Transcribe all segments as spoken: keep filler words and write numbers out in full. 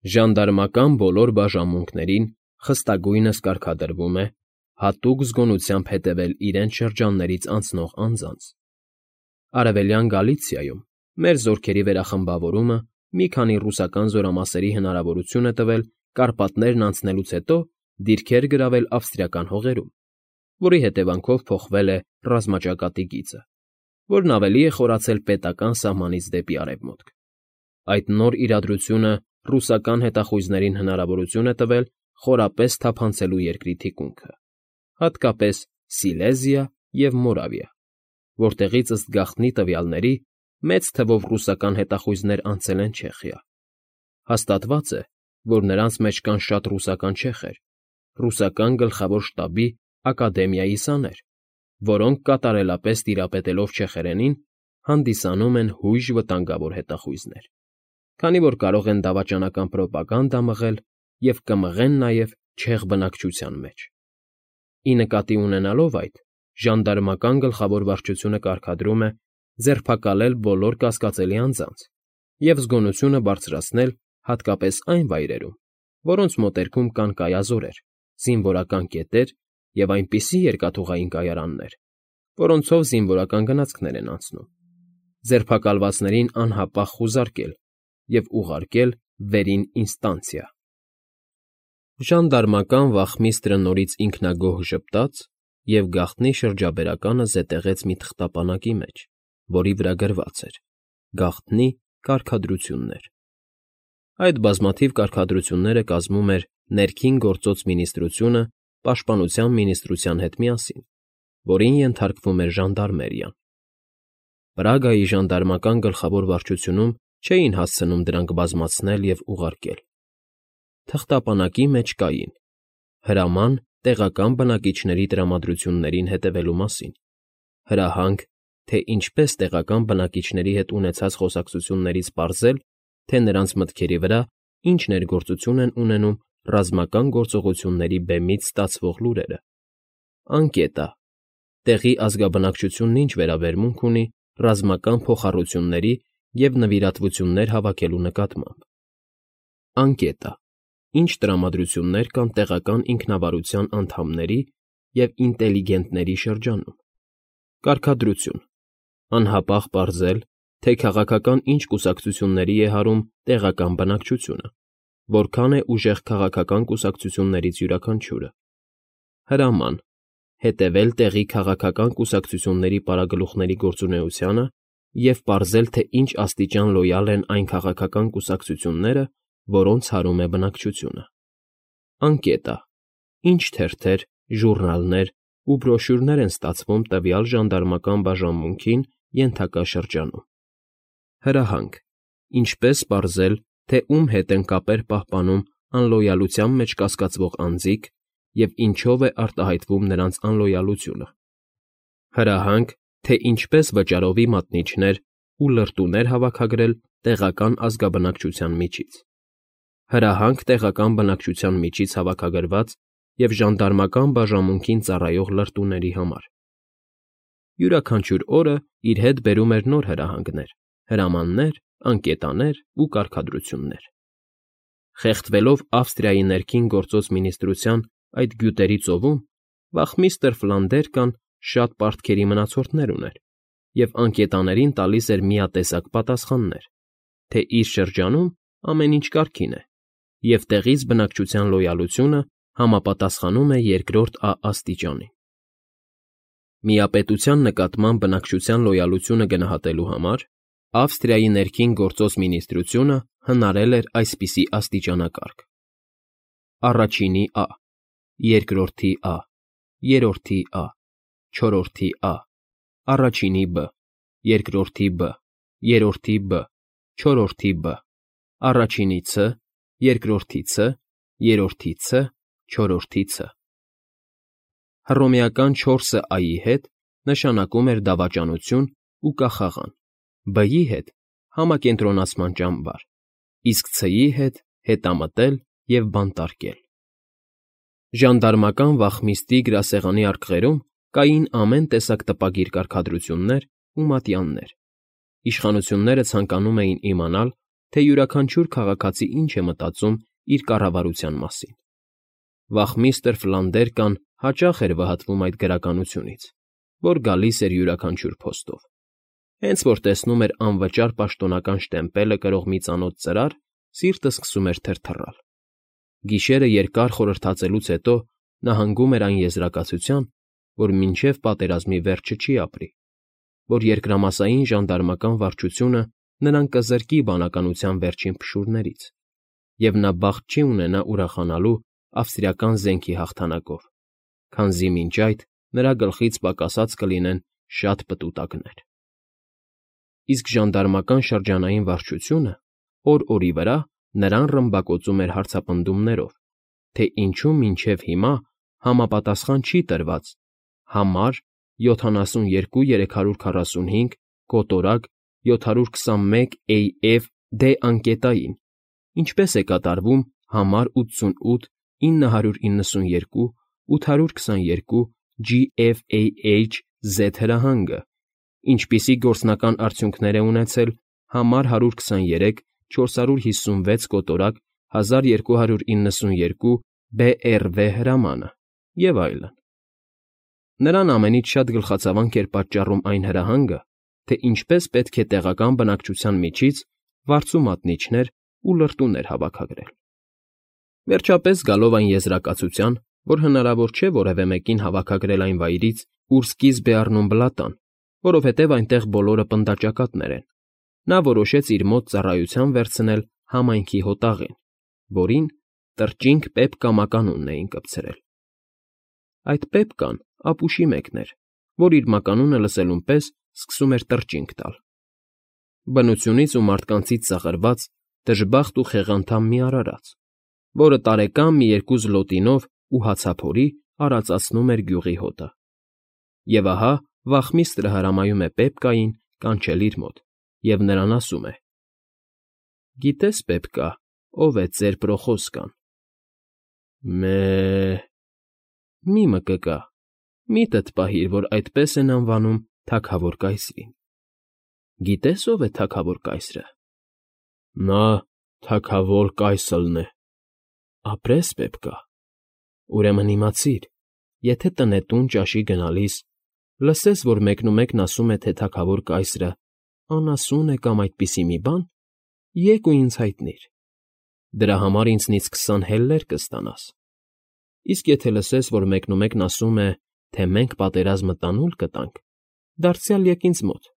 Ժանդարմական բոլոր բաժանմունքներին խստագույնս կարգադրվում է հատուկ զգոնությամբ հետևել իրենց շրջաններից անցնող անձանց. Արևելյան Գալիցիայում մեր զորքերի վերախմբավորումը մի քանի ռուսական զորամասերի հնարավորություն է տվել Կարպատներն անցնելուց հետո դիրքեր գրավել ավստրիական հողերում, որի հետևանքով փոխվել է ռազմաճակատի գիծը, որն ավելի է խորացել պետական սահմանից դեպի արևմուտք։ Այդ նոր իրադրությունը ռուսական հետախույզներին հնարավորություն է տվել խորապես թափանցելու երկրի թիկունքը, հատկապես Սիլեզիա և Մորավիա, որտեղից ըստ գաղտնի տվյալների մեծ թվով ռուսական հետախույզներ անցել են Չեխիա։ Հաստատված է, որ նրանց մեջ կան շատ ռուսական չեխեր, ռուսական գլխավոր շտաբի ակադեմիայի սաներ, որոնք կատարելապես տիրապետելով չեխերենին, հանդիսանում են հույժ վտանգավոր հետախույզներ, քանի որ կարող են դավաճանական պրոպագանդա մղել և կմղեն նաև չեխ բնակչության մեջ։ Ի նկատի ունենալով այդ, ժանդարմական գլխավոր վարչությունը կարգադրում է ձերբակալել բոլոր կասկածելի անձանց և զգոնությունը բարձրացնել հատկապես այն վայրերում, որոնց մոտերքում կան կայազորեր, զինվորական կետեր և այնպիսի երկաթուղային կայարաններ, որոնցով զինվորական գնացքներ են անցնում, ձերբակալվածներին անհապաղ խուզարկել և ուղարկել վերին ինստանցիա։ Ժանդարմական վախմիստրը նորից ինքնագոհ ժպտաց և գաղտնի շրջաբերականը զետեղեց մի թղթապանակի մեջ, որի վրա գրված էր. «Գաղտնի կարգադրություններ»։ Այդ բազմաթիվ կարգադրությունները կազմում էր Ներքին գործոց մինիստրությունը Պաշտպանության մինիստրության հետ միասին, որին ենթարկվում էր ժանդարմերիան։ Պրագայի ժանդարմական գլխավոր վարչությունում չէին հասցնում դրանք բազմացնել և ուղարկել։ Թղթապանակի մեջ կային հրաման տեղական բնակիչների տրամադրություններին հետևելու մասին, հրահանգ, թե ինչպես տեղական բնակիչների հետ ունեցած խոսակցություններից պարզել, թե նրանց մտքերի վրա ինչ ներգործություն են ունենում ռազմական գործողությունների բեմից ստացվող լուրերը, անկետա, տեղի ազգաբնակչությունն ինչ վերաբերմունք ունի ռազմական փոխառությունների և նվիրատվություններ հավաքելու նկատմամբ, անկետա, ինչ տրամադրություններ կան տեղական ինքնավարության անդամների և ինտելիգենտների շրջանում, կարգադրություն, անհապաղ պարզել, թե քաղաքական ինչ կուսակցությունների է հարում տեղական բնակչությունը, որքան է ուժեղ քաղաքական կուսակցություններից յուրաքանչյուրը, հրաման, հետևել տեղի քաղաքական կուսակցությունների պարագլուխների գործունեությանը և պարզել, թե ինչ աստիճան լոյալ են այն քաղաքական կուսակցությունները, որոնց հարում է բնակչությունը, անկետա, ինչ թերթեր, ժուռնալներ ու բրոշյուրներ են ստացվում տվյալ ժանդարմական բաժանմունքին ենթակա շրջանում, հրահանգ, ինչպես պարզել, թե ում հետ են կապեր պահպանում անլոյալության մեջ կասկածվող անձինք և ինչով է արտահայտվում նրանց անլոյալությունը, հրահանգ, թե ինչպես վճարովի մատնիչներ ու լրտուներ հավաքագրել տեղական ազգաբնակչության միջից, հրահանգ տեղական բնակչության միջից հավաքագրված և ժանդարմական բաժանմունքին ծառայող լրտուների համար։ Յուրաքանչյուր օրը իր հետ բերում էր նոր հրահանգներ, հրամաններ, անկետաներ ու կարգադրություններ։ Խեղդվելով Ավստրիայի ներքին գործոց մինիստրության այդ գյուտերի ծովում, վախմիստր Ֆլանդերկան շատ պարտքերի մնացորդներ ուներ և անկետաներին տալիս էր միատեսակ պատասխաններ, թե իր շրջանում ամեն ինչ կարգին է, և տեղից բնակչության լոյալությունը համապատասխանում է երկրորդ Ա աստիճանին։ Միապետության նկատմամբ բնակչության լոյալությունը գնահատելու համար Ավստրիայի ներքին գործոց մինիստրությունը հնարել էր այսպիսի աստիճանակարգ. առաջինի Ա, երկրորդի Ա, երրորդի Ա, չորրորդի Ա, առաջինի Բ, երկրորդի Բ, երրորդի Բ, չորրորդի Բ, առաջինի Ց, երկրորդի Ց, երրորդի Ց, չորրորդի Ց։ Հռոմեական չորսը Ա֊ի հետ նշանակում էր դավաճանություն ու կախաղան, Բ֊ի հետ՝ համակենտրոնացման ճամբար, իսկ Ց֊ի հետ՝ հետամտել և բանտարկել։ Ժանդարմական վախմիստրի գրասեղանի արկղերում կային ամեն տեսակ տպագիր կարգադրություններ ու մատյաններ։ Իշխանությունները ցանկանում էին իմանալ, թե յուրաքանչյուր քաղաքացի ինչ է մտածում իր կառավարության մասին։ Վախմիստր Ֆլանդերկան հաճախ էր վհատվում այդ գրականությունից, որ գալիս էր յուրաքանչյուր փոստով։ Հենց որ տեսնում էր անվճար պաշտոնական շտեմպելը կրող մի ծանոթ ծրար, սիրտը սկսում էր թրթռալ։ Գիշերը երկար խորհրդածելուց հետո նա հանգում էր այն եզրակացության, որ մինչև պատերազմի վերջը չի ապրի, որ երկրամասային ժանդարմական վարչությունը նրան կզրկի բանականության վերջին փշուրներից, և նա բախտ չի ունենա ուրախանալու ավստրիական զենքի հաղթանակով, քանզի մինչ այդ նրա գլխից պակասած կլինեն շատ պտուտակներ։ Իսկ ժանդարմական շրջանային վարչությունը օր֊օրի վրա նրան ռմբակոծում էր հարցապնդումներով, թե ինչու մինչև հիմա համապատասխան չի տրված համար յոթանասունյոթ երեք հարյուր քառասունհինգ կոտորակ յոթ հարյուր քսանմեկ էյ էֆ դե անկետային, ինչպես է կատարվում համար ութսունութ ինը հարյուր իննսունյոթ ութ հարյուր քսաներկու ջի էֆ էյ էյչ զեդ հրահանգը, ինչպիսի գործնական արդյունքներ է ունեցել համար հարյուր քսաներեք չորս հարյուր հիսունվեց կոտորակ հազար երկու հարյուր իննսունյոթ բե էռ վե հրամանը և այլն։ Նրան ամենից շատ գլխացավանք էր պատճառում այն հրահանգը, թե ինչպես պետք է տեղական բնակչության միջից վարձու մատնիչներ ու լրտուներ հավաքագրել։ Վերջապես գալով այն եզրակացության, որ հնարավոր չէ որևէ մեկին հավաքագրել այն վայրից, ուր սկիզբ է առնում բլատան, որովհետև այնտեղ բոլորը պնդաճակատներ են, նա որոշեց իր մոտ ծառայության վերցնել համայնքի հոտաղին, որին Տրճինգ Պեպկա մականունն էին կպցրել։ Այդ Պեպկան ապուշի մեկն էր, որ իր մականունը լսելուն պես սկսում էր տրճինգ տալ։ Բնությունից ու մարդկանցից ծաղրված, դժբախտ ու խեղանդամ մի արարած, որը տարեկան մի երկու զլոտինով ու հացափորի արածացնում էր գյուղի հոտը։ Եվ ահա վախմիստրը հրամայում է Պեպկային կանչել իր մոտ և նրան ասում է. «Գիտե՞ս, Պեպկա, ով է ծեր Պրոխոսկան»։ Մե՛, մի մկկա, միտդ պահիր, որ այդպես են անվանում թագավոր կայսրին։ Գիտե՞ս ով է թագավոր կայսրը։ Նա թագավոր կայսլն է։ Ապրես, Պեպկա, ուրեմն իմացիր, եթե տնետուն ճաշի գնալիս լսես, որ մեկնումեկն ասում է, թե թագավոր կայսրը անասուն է կամ այդպիսի մի բան, եկ ու ինձ հայտնիր, դրա համար ինձնից քսան հելլեր կստանաս, իսկ եթե լսես, որ մեկնումեկն ասում է, թե մենք պատերազմը տանուլ կտանք, դարձյալ եկ ինձ մոտ,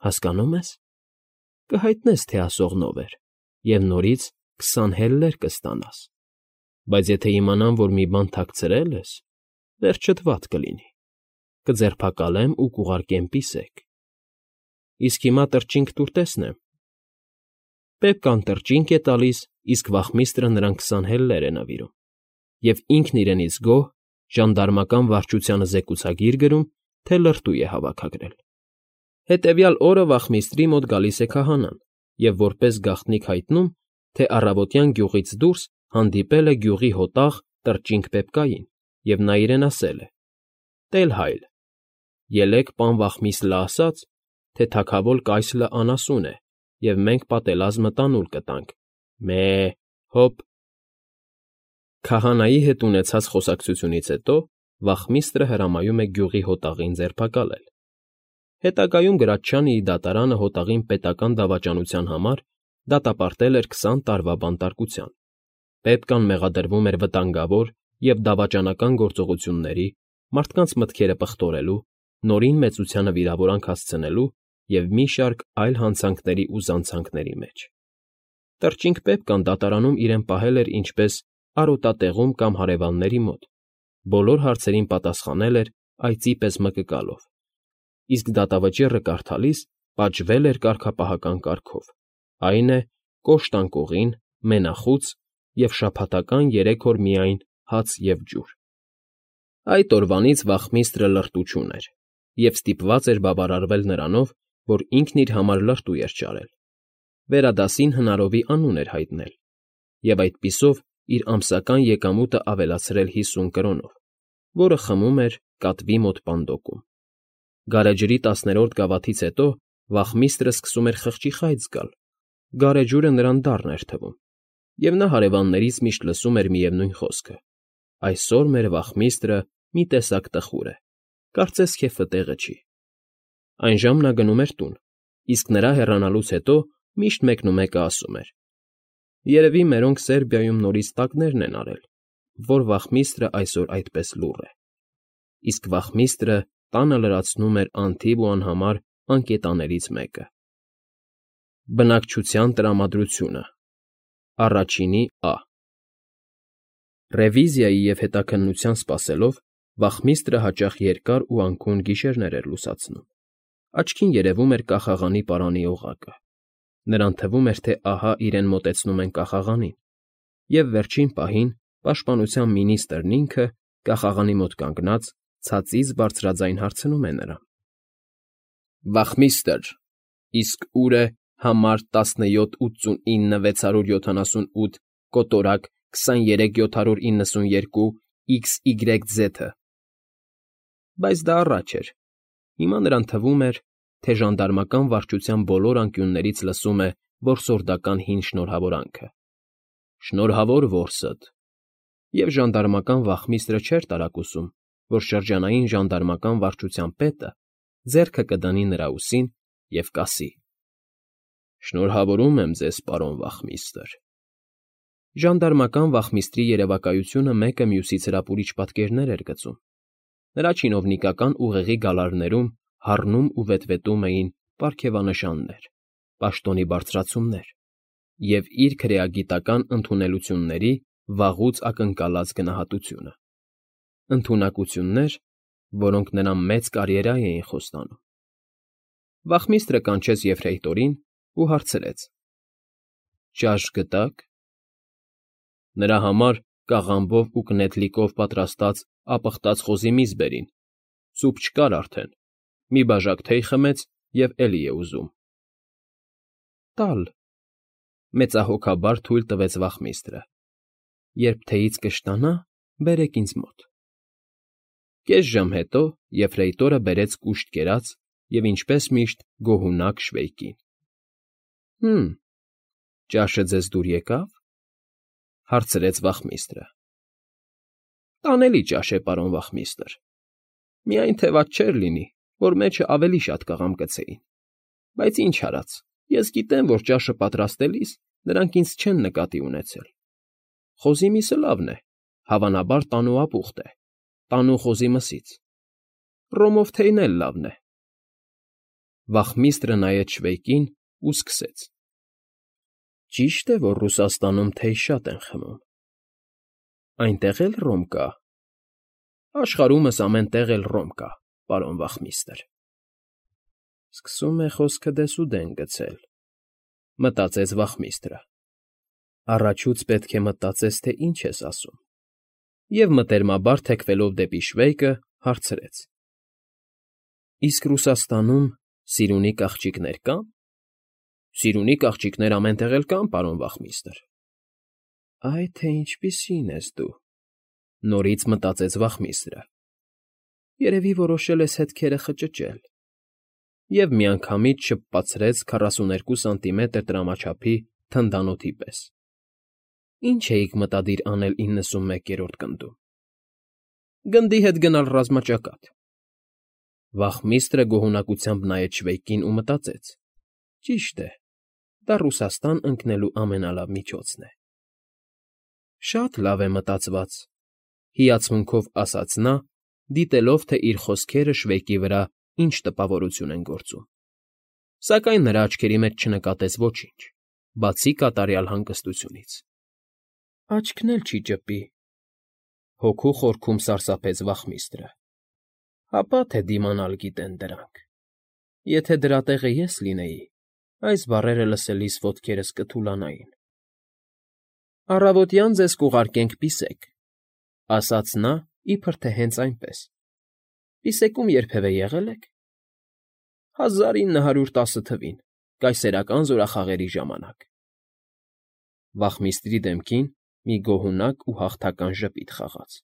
հասկանո՞ւմ ես, կհայտնես, թե ասողն ով էր, և նորից քսան հելլեր կստանաս, բայց եթե իմանամ, որ մի բան թաքցրել ես, վերջդ վատ կլինի, կձերբակալեմ ու կուղարկեմ պիսեք։ Իսկ հիմա տրճինգ տուր տեսնեմ։ Պեպկան տրճինգ է տալիս, իսկ վախմիստրը նրան քսան հելլեր է նվիրում, և ինքն իրենից գոհ ժանդարմական վարչությանը զեկուցագիր գրում, թե լրտու է հավաքագրել։ Հետևյալ օրը վախմիստրի մոտ գալիս է քահանան և որպես գաղտնիք հայտնում, թե առավոտյան գյուղից դուրս հանդիպել է գյուղի հոտաղ տրճինգ Պեպկային, և նա իրեն ասել է. «Տել֊հայլ, ելեք պան Վախմիսլը ասաց, թե թագավոր կայսլը անասուն է, և մենք պատերազմը տանուլ կտանք, մե՛, հոպ»։ Քահանայի հետ ունեցած խոսակցությունից հետո վախմիստրը հրամայում է գյուղի հոտաղին ձերբակալել։ Հետագայում գրաչյանը իր դատարանը հոտաղին պետական դավաճանության համար դատապարտել էր քսան տարվա բանտարկության։ Պեպկան մեղադրվում էր վտանգավոր և դավաճանական գործողությունների, մարդկանց մտքերը պղտորելու, նորին մեծությանը վիրավորանք հասցնելու և մի շարք այլ հանցանքների ու զանցանքների մեջ։ Տրճինգ Պեպկան դատարանում իրեն պահել էր ինչպես արոտատեղում կամ հարևանների մոտ, բոլոր հարցերին պատասխանել էր այծի պես մկկալով, իսկ դատավճիռը կարդալիս պատժվել էր կարգապահական կարգով, այն է, կոշտ անկողին, մենախուց և շաբաթական երեք օր միայն հաց և ջուր։ Այդ օրվանից վախմիստրը լրտու չուներ և ստիպված էր բավարարվել նրանով, որ ինքն իր համար լրտու էր ճարել, վերադասին հնարովի անուն էր հայտնել և այդպիսով իր ամսական եկամուտը ավելացրել հիսուն կրոնով, որը խմում էր կատվի մոտ պանդոկում։ Գարեջրի տասներորդ գավաթից հետո վախմիստրը սկսում էր խղճի խայծ զգալ Գարեջուրը նրան դառն էր թվում, և նա հարևաններից միշտ լսում էր միևնույն խոսքը. «Այսօր մեր վախմիստրը մի տեսակ տխուր է, կարծես քեֆը տեղը չի»։ Այնժամ նա գնում էր տուն, իսկ նրա հեռանալուց հետո միշտ մեկնումեկը ասում էր. «Երևի մերոնք Սերբիայում նորից տակներն են արել, որ վախմիստրը այսօր այդպես լուռ է»։ Իսկ վախմիստրը տանը լրացնում էր անթիվ ու անհամար անկետաներից մեկը։ Բնակչության տրամադրությունը Առաջինի Ա Ռևիզիայի և հետաքննության սպասելով վախմիստրը հաճախ երկար ու անքուն գիշերներ էր լուսացնում։ Աչքին երևում էր կախաղանի պարանի օղակը։ Նրան թվում էր, թե ահա իրեն մոտեցնում են կախաղանին, և վերջին պահին պաշտպանության մինիստրն ինքը, կախաղանի մոտ կանգնած, ցածից բարձրաձայն հարցնում է նրան. «Վախմիստր, իսկ ո՞ւր է համար տասնյոթ ութսունինը վեցարյոթ յոթանասունութ կոտորակ քսաներեք յոթ հարյուր իննսունյերկու իքս յեգրեք ձեթը»։ Բայց դա առաջ էր։ Հիմա նրան թվում էր, թե ժանդարմական վարչության բոլոր անկյուններից լսում է որսորդական հին շնորհավորանքը. «Շնորհավոր որսդ»։ Եվ ժանդարմական վախմիստրը չէր տարակուսում, որ շրջանային ժանդարմական վարչության պետը ձեռքը կդնի նրա ուսին և կասի. «Շնորհավորում եմ ձեզ, պարոն վախմիստր»։ Ժանդարմական վախմիստրի երևակայությունը մեկը մյուսից հրապուրիչ պատկերներ էր գծում։ Նրա չինովնիկական ուղեղի գալարներում հառնում ու վետվետում էին պարգևանշաններ, պաշտոնի բարձրացումներ և իր քրեագիտական ընդունելությունների վաղուց ակնկալած գնահատությունը։ Ընդունակություններ, որոնք նրան մեծ կարիերա էին խոստանում։ Վախմիստրը կանչեց եֆրեյտորին ու հարցրեց. «Ճաշ գտա՞ք»։ Նրա համար կաղամբով ու կնեթլիկով պատրաստած ապխտած խոզի միս բերին, սուփ չկար արդեն, մի բաժակ թեյ խմեց և էլի է ուզում։ «Տալ», մեծահոգաբար թույլ տվեց վախմիստրը, «երբ թեյից կշտանա, բերեք ինձ մոտ»։ Կես ժամ հետո եֆրեյտորը բերեց կուշտ կերած և, ինչպես միշտ, գոհունակ շվեյկին։ «Հը՛մ, ճաշը ձեզ դուր եկա՞վ»։ հարցրեց վախմիստրը։ «Տանելի ճաշ է, պարոն վախմիստր, միայն թե վատ չէր լինի, որ մեջը ավելի շատ կաղամբ գցեին, բայց ինչ արած, ես գիտեմ, որ ճաշը պատրաստելիս նրանք ինձ չեն նկատի ունեցել։ Խոզի միսը լավն է, հավանաբար տանու ապուխտ է, տանու խոզի մսից, ռոմով թեյն էլ լավն է»։ Վախմիստրը նայեց շվեյկին ու սկսեց. «Ճի՞շտ է, որ Ռուսաստանում թեյ շատ են խմում։ Այնտեղ էլ ռոմ կա»։ «Աշխարհումս ամեն տեղ էլ ռոմ կա, պարոն վախմիստր»։ «Սկսում է խոսքը դեսուդեն գցել», մտածեց վախմիստրը։ Առաջուց պետք է մտածես, թե ինչ ես ասում, և մտերմաբար թեքվելով դեպի շվեյկը, հարցրեց. «Իսկ Ռուսաստանում սիրունի կաղճիկներ կա՞ն»։ «Սիրունի կաղճիկներ ամեն տեղ էլ կան, պարոն վախմիստր»։ «Այ թե ինչպիսի՜ն ես դու», նորից մտածեց վախմիստրը։ «Երևի որոշել ես հետքերը խճճել» և միանգամից շփպացրեց քառասուներկու սանտիմետր տրամաչափի թնդանոթի պես։ «Ինչ էիք մտադիր անել իննսունմեկերորդ գնդում»։ «Գնդի հետ գնալ ռազմաճակատ»։ Վախմիստրը գոհունակությամբ նայեց շվեյկին ու մտածեց. «Ճիշտ է, դա Ռուսաստան ընկնելու ամենալավ միջոցն է»։ «Շատ լավ է մտածված», հիացմունքով ասաց նա, դիտելով, թե իր խոսքերը շվեյկի վրա ինչ տպավորություն են գործում։ Սակայն նրա աչքերի մեջ չնկատեց ոչինչ, բացի կատարյալ հանգստությունից։ «Աչքն էլ չի ճպի», հոգու խորքում սարսափեց վախմիստրը։ «Հապա թե դիմանալ գիտեն դրանք։ Եթե դրա տեղը ես լինեի, այս բառերը լսելիս ոտքերս կթուլանային»։ «Առավոտյան ձեզ կուղարկենք պիսեք», ասաց նա, իբր թե հենց այնպես։ «Պիսեկում երբևէ եղե՞լ եք»։ «Հազար ինը հարյուր տասը թվին, կայսերական զորախաղերի ժամանակ»։ Վախմիստրի դեմքին մի գոհունակ ու հաղթական ժպիտ խաղաց։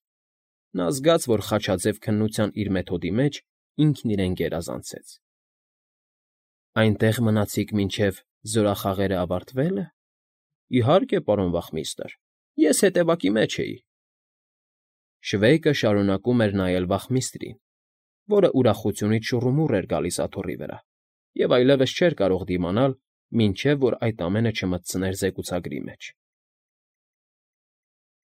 Նա զգաց, որ խաչաձև քննության իր մեթոդի մեջ ինքն իրեն գերազանցեց։ «Այնտեղ մնացիք մինչև Զորախաղերը ավարտվե՞լ։ Իհարկե, պարոն վախմիստր, ես հետևակի մեջ էի… Շվեյկը շարունակում էր նայել վախմիստրին, որը ուրախությունից շուռումուռ էր գալիս աթոռի վրա և այլևս չէր կարող դիմանալ, մինչև որ այդ ամենը չմտցներ զեկուցագրի մեջ։